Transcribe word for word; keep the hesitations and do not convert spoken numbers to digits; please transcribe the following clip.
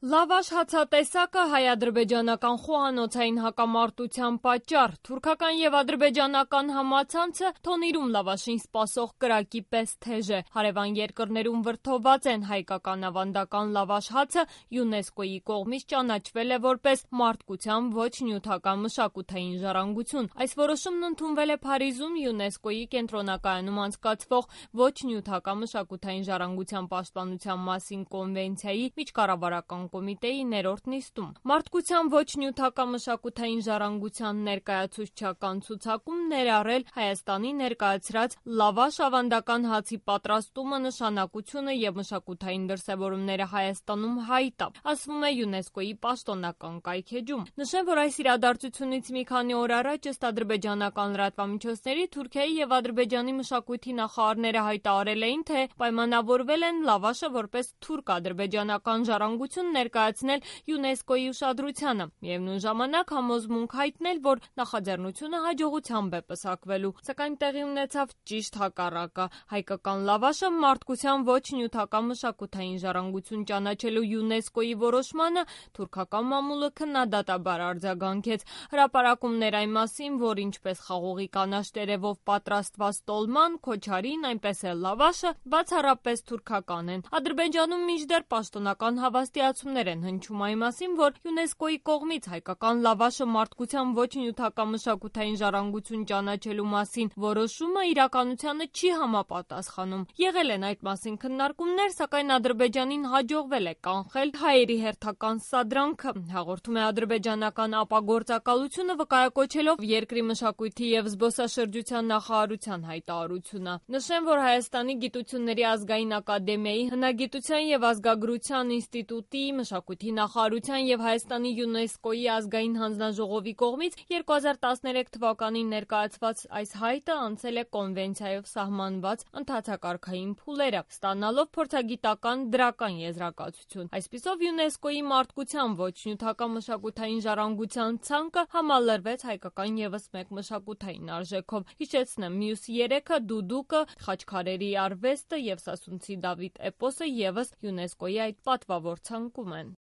Լավաշ հացատեսակը հայ-ադրբեջանական խոհանոցային հակամարտության պատճառ։ Թուրքական եւ ադրբեջանական համացանցը թոնիրում լավաշին սպասող կրակի պես թեժ է։ Հարևան երկրներում վրդովված են հայկական ավանդական լավաշ հացը ՅՈՒՆԵՍԿՕ-ի կողմից ճանաչվել է որպես մարդկության ոչ նյութական մշակութային ժառանգություն։ Այս որոշումն ընդունվել է Փարիզում ՅՈՒՆԵՍԿՕ-ի կենտրոնակայանում անցկացվող ոչ նյութական մշակութային ժառանգության պաշտպանության մասին կոնվենցիայի միջկառավարական կոմիտեի ներորդ նիստում։ Մարդկության ոչ նյութական մշակութային ժառանգության ներկայացուցչական ցուցակում ներառել Հայաստանի ներկայացրած լավաշ ավանդական հացի պատրաստումը, նշանակությունը եւ մշակութային դրսեւորումները Հայաստանում հայտ է, ասվում է ՅՈՒՆԵՍԿՕ-ի պաշտոնական կայքէջում։ Նշեմ, որ այս իրադարձությունից մի քանի օր առաջ ըստ ադրբեջանական լրատվամիջոցների Թուրքիայի եւ Ադրբեջանի մշակույթի նախարարները հայտարարել էին, թե պայմանավորվել են լավաշը որպես թուրք-ադրբեջանական ժառանգություն ներկայացնել ՅՈՒՆԵՍԿՕ-ի ուշադրությանը, միևնույն ժամանակ համոզմունք հայտնել, որ նախաձեռնությունը հաջողությամբ է պսակվելու, սակայն տեղի ունեցավ ճիշտ հակառակը։ Հայկական լավաշը մարդկության ոչ նյութական մշակութային ժառանգություն ճանաչելու ՅՈՒՆԵՍԿՕ-ի որոշմանը թուրքական մամուլը քննադատաբար արձագանքեց։ Հրապարակումներ այն մասին, որ ինչպես խաղողի կանաչ տերևով պատրաստված տոլման, քոչարին, այնպես էլ լավաշը բացառապես թուրքական են։ Ադրբեջանում մինչդեռ պաշտոնական հավաստիացումներ են հնչում այն մասին, որ ՅՈՒՆԵՍԿՕ-ի կողմից հայկական լավաշը մարդկության ոչ նյութական մշակութային ժառանգություն ճանաչելու մասին որոշումը իրականությանը չի համապատասխանում։ Եղել են այդ մասին քննարկումներ, սակայն Ադրբեջանին հաջողվել է կանխել հայերի հերթական սադրանքը, հաղորդում է ադրբեջանական ապագործակալությունը, վկայակոչելով երկրի մշակույթի եւ զբոսաշրջության նախարարության հայտարարությունը։ Նշեմ, որ Հայաստանի գիտությունների ազգային ակադեմիայի, հնագիտության եւ ազգագրության ինստիտուտի, մշակույթի նախարարության եւ Հայաստանի ՅՈՒՆԵՍԿՕ-ի ազգային հանձնաժողովի կողմից երկու հազար տասներեք թվականին ներկայացված այս հայտը անցել է կոնվենցիայով սահմանված ընդհանցակարգային փուլերը, ստանալով փորձագիտական դրական եզրակացություն։ Այսպիսով ՅՈՒՆԵՍԿՕ-ի մարդկության ոչ նյութական մշակութային ժառանգության ցանկը համալրվեց հայկական եւս մեկ մշակութային արժեքով։ Հիշեցնեմ, մյուս երեքը՝ դուդուկը, խաչքարերի արվեստը եւ Սասունցի Դավիթ էպոսը եւս ՅՈՒՆԵՍԿՕ-ի այդ պատվավոր ցանկում են։